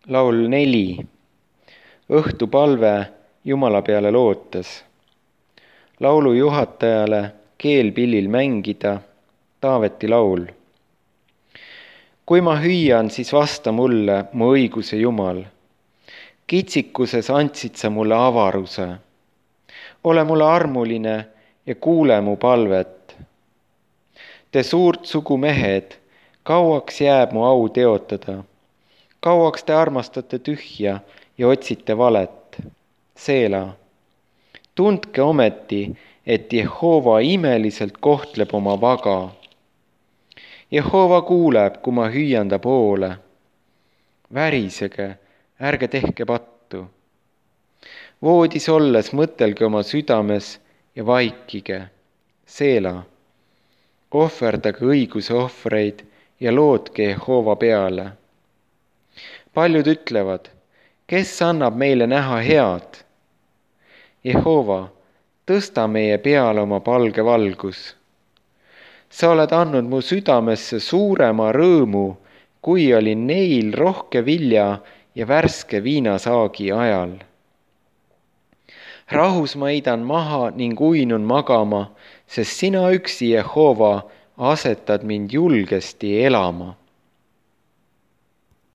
Laul 4. Õhtupalve Jumala peale lootes. Laulu juhatajale keelpillil mängida Taaveti laul. Kui ma hüüan, siis vasta mulle, mu õiguse Jumal. Kitsikuses andsid sa mulle avaruse. Ole mulle armuline ja kuule mu palvet. Te suurt sugu mehed, kauaks jääb mu au teotada. Kauaks te armastate tühja ja otsite valet. Seela. Tundke ometi, et Jehova imeliselt kohtleb oma vaga. Jehova kuuleb, kui ma hüüan ta poole. Värisege, ärge tehke pattu. Voodis olles mõtelge oma südames ja vaikige. Seela. Ohverdage õiguse ohvreid ja lootke Jehova peale. Paljud ütlevad, kes annab meile näha head? Jehova, tõsta meie peale oma palge valgus. Sa oled andnud mu südamesse suurema rõõmu, kui oli neil rohke vilja ja värske viinasaagi ajal. Rahus ma heidan maha ning uinun magama, sest sina üksi, Jehova, asetad mind julgesti elama.